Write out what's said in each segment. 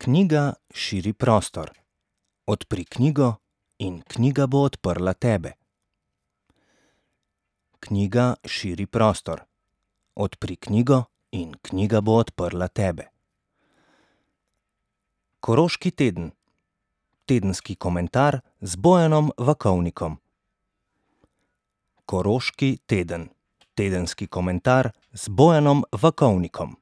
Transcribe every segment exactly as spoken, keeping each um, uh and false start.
Knjiga širi prostor. Odpri knjigo in knjiga bo odprla tebe. Knjiga širi prostor. Odpri knjigo in knjiga bo odprla tebe. Koroški teden. Tedenski komentar z Bojanom Vakovnikom. Koroški teden. Tedenski komentar z Bojanom Vakovnikom.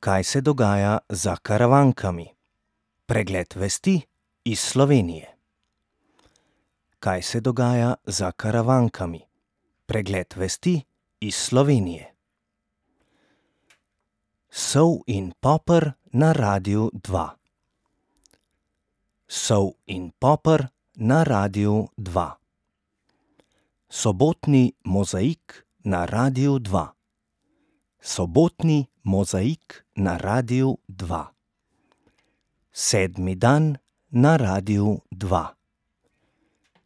Kaj se dogaja za Karavankami? Pregled vesti iz Slovenije. Kaj se dogaja za Karavankami? Pregled vesti iz Slovenije. Sol in poper na Radiu dva. Sol in poper na Radiu dva. Sobotni mozaik na Radiu dva. Sobotni mozaik na Radiu dva. Sedmi dan na Radiu dva.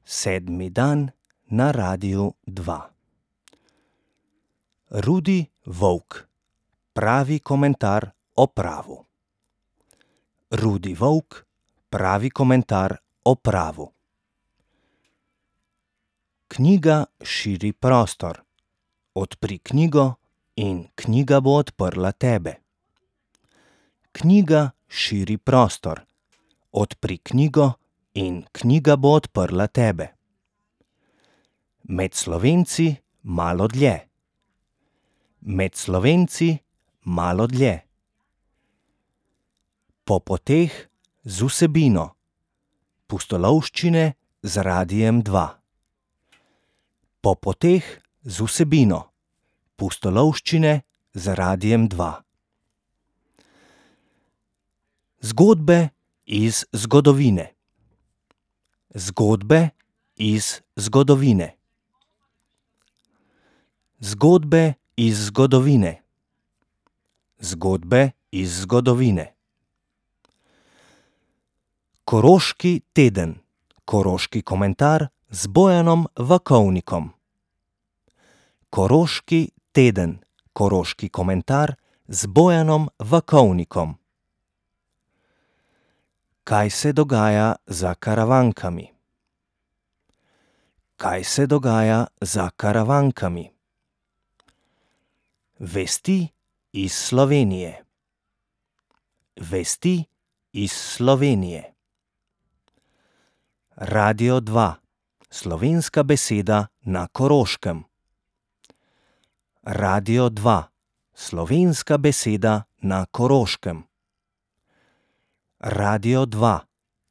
Sedmi dan na Radiu dva. Rudi Volk. Pravi komentar o pravu. Rudi Volk. Pravi komentar o pravu. Knjiga širi prostor. Odpri knjigo in knjiga bo odprla tebe. Knjiga širi prostor. Odpri knjigo in knjiga bo odprla tebe. Med Slovenci malo dlje. Med Slovenci malo dlje. Po poteh z vsebino. Pustolovščine z Radiem dva. Po poteh z vsebino. Pustolovščine z Radiem dva. Zgodbe iz zgodovine. Zgodbe iz zgodovine. Zgodbe iz zgodovine. Zgodbe iz zgodovine. Koroški teden. Koroški komentar z Bojanom Vakovnikom. Koroški teden. Koroški komentar z Bojanom Vakovnikom. Kaj se dogaja za Karavankami? Kaj se dogaja za Karavankami? Vesti iz Slovenije. Vesti iz Slovenije. Radio dva. Slovenska beseda na Koroškem. Radio dva. Slovenska beseda na Koroškem. Radio dva.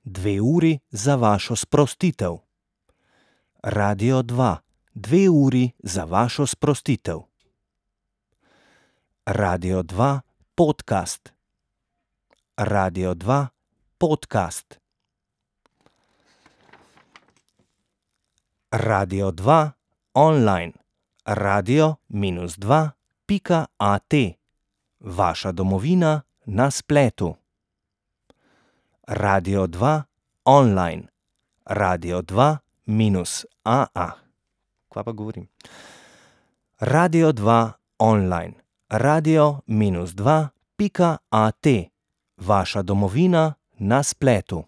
Dve uri za vašo sprostitev. Radio dva. Dve uri za vašo sprostitev. Radio dva. Podcast. Radio dva. Podcast. Radio dva. Online. radio dva pika at. Vaša domovina na spletu. Radio dva. Online. radio dva minus aa. Kva pa govorim? Radio dva. Online. radio dva pika at. Vaša domovina na spletu.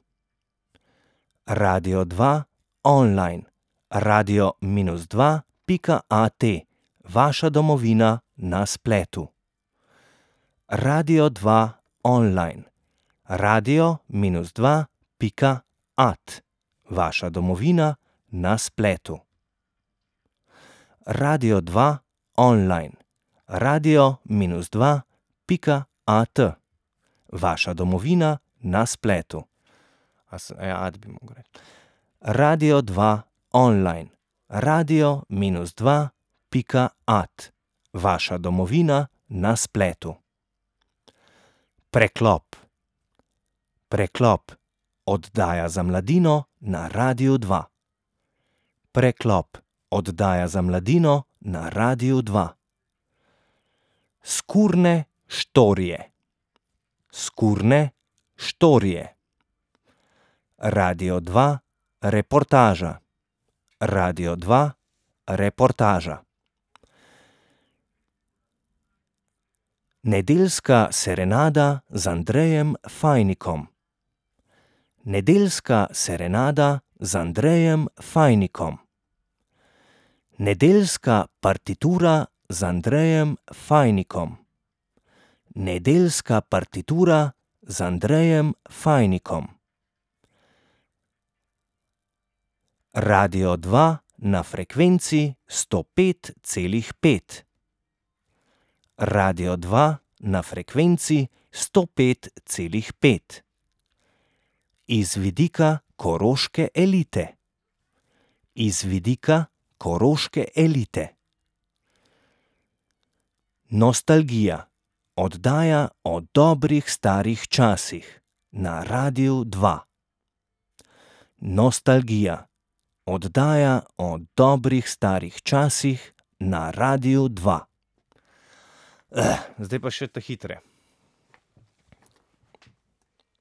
Radio dva. Online. radio dva pika at. Vaša domovina na spletu. Radio dva. Online. radio dva pika at. Vaša domovina na spletu. Radio dva. Online. radio dva pika at. Vaša domovina na spletu. A se, ja, ad bi mogel reči. Radio dva. Online. radio dva pika at. Vaša domovina na spletu. Preklop. Preklop. Oddaja za mladino na Radiu dva. Preklop. Oddaja za mladino na Radiu dva. Skurne štorije. Skurne štorije. Radio dva. Reportaža. Radio dva. Reportaža. Nedeljska serenada z Andrejem Fajnikom. Nedeljska serenada z Andrejem Fajnikom. Nedeljska partitura z Andrejem Fajnikom. Nedeljska partitura z Andrejem Fajnikom. Radio dva na frekvenci sto pet celih pet. Radio dva na frekvenci sto pet celih pet. Iz vidika koroške elite. Iz vidika koroške elite. Nostalgija. Oddaja o dobrih starih časih na Radiu dva. Nostalgija. Oddaja o dobrih starih časih na Radiu dva. Zdaj pa še ta hitre.